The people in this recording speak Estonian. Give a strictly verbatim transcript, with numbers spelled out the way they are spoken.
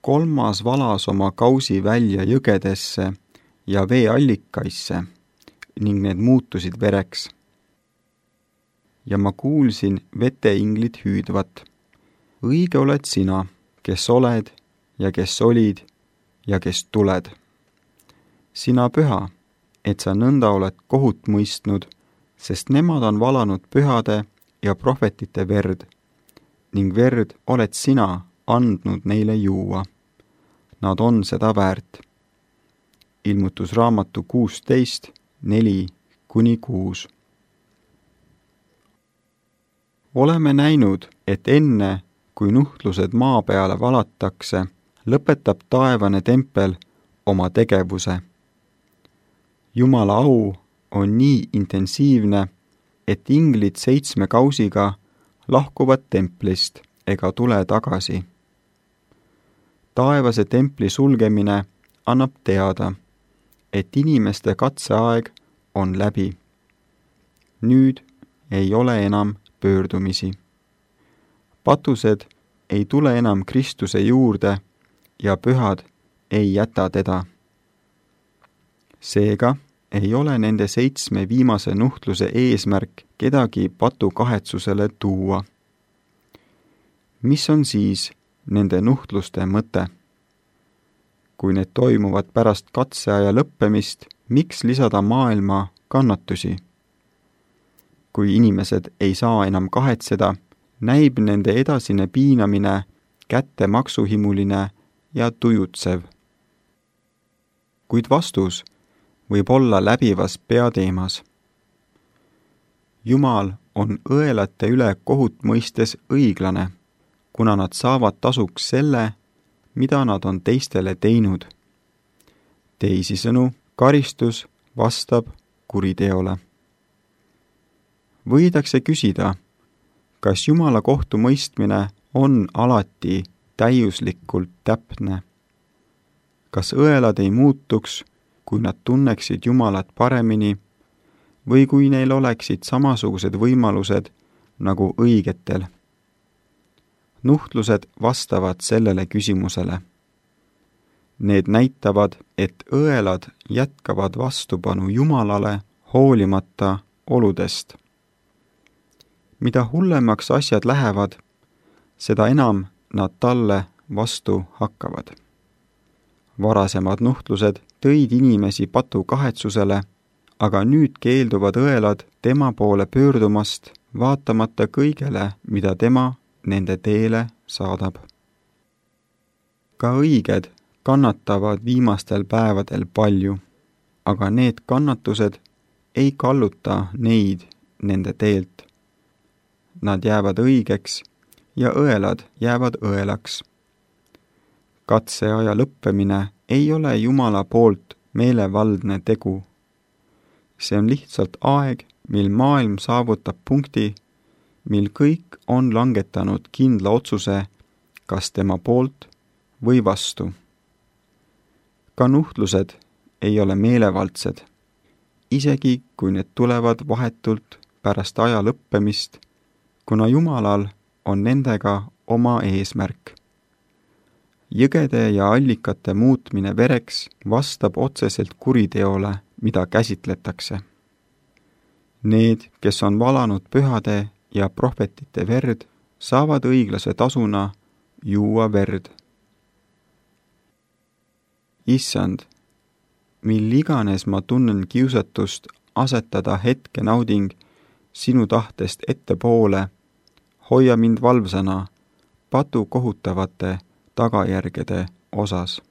kolmas valas oma kausi välja jõgedesse ja veeallikaisse ning need muutusid vereks. Ja ma kuulsin veteinglid hüüdvat. Õige oled sina, kes oled ja kes olid ja kes tuled. Sina püha, et sa nõnda oled kohut mõistnud, sest nemad on valanud pühade ja prohvetite verd, ning verd oled sina andnud neile juua. Nad on seda väärt. Ilmutusraamatu kuusteist, neli kuni kuus. Oleme näinud, et enne, kui nuhtlused maa peale valatakse, lõpetab taevane tempel oma tegevuse. Jumala au on nii intensiivne, et inglid seitsme kausiga lahkuvad templist ega tule tagasi. Taevase templi sulgemine annab teada, et inimeste katseaeg on läbi. Nüüd ei ole enam pöördumisi. Patused ei tule enam Kristuse juurde ja pühad ei jäta teda. Seega ei ole nende seitsme viimase nuhtluse eesmärk kedagi patu kahetsusele tuua. Mis on siis nende nuhtluste mõte? Kui need toimuvad pärast katseaja lõppemist, miks lisada maailma kannatusi? Kui inimesed ei saa enam kahetseda, näib nende edasine piinamine kätte maksuhimuline ja tujutsev. Kuid vastus võib olla läbivas peateemas. Jumal on õelate üle kohut mõistes õiglane, kuna nad saavad tasuks selle, mida nad on teistele teinud. Teisisõnu, karistus vastab kuriteole. Võidakse küsida, kas Jumala kohtu mõistmine on alati täiuslikult täpne? Kas õelad ei muutuks, kui nad tunneksid Jumalat paremini või kui neil oleksid samasugused võimalused nagu õigetel? Nuhtlused vastavad sellele küsimusele. Need näitavad, et õelad jätkavad vastupanu Jumalale hoolimata oludest. Mida hullemaks asjad lähevad, seda enam nad talle vastu hakkavad. Varasemad nuhtlused tõid inimesi patu kahetsusele, aga nüüd keelduvad õelad tema poole pöördumast, vaatamata kõigele, mida tema nende teele saadab. Ka õiged kannatavad viimastel päevadel palju, aga need kannatused ei kalluta neid nende teelt. Nad jäävad õigeks ja õelad jäävad õelaks. Katseaja lõppemine ei ole Jumala poolt meelevaldne tegu. See on lihtsalt aeg, mil maailm saavutab punkti, mil kõik on langetanud kindla otsuse, kas tema poolt või vastu. Ka nuhtlused ei ole meelevaldsed, isegi kui need tulevad vahetult pärast aja lõppemist, kuna Jumalal on nendega oma eesmärk. Jõgede ja allikate muutmine vereks vastab otseselt kuriteole, mida käsitletakse. Need, kes on valanud pühade ja prohvetite verd, saavad õiglase tasuna juua verd. Issand, mil iganes ma tunnen kiusatust asetada hetke nauding sinu tahtest ettepoole, hoia mind valvsana patu kohutavate tagajärgede osas.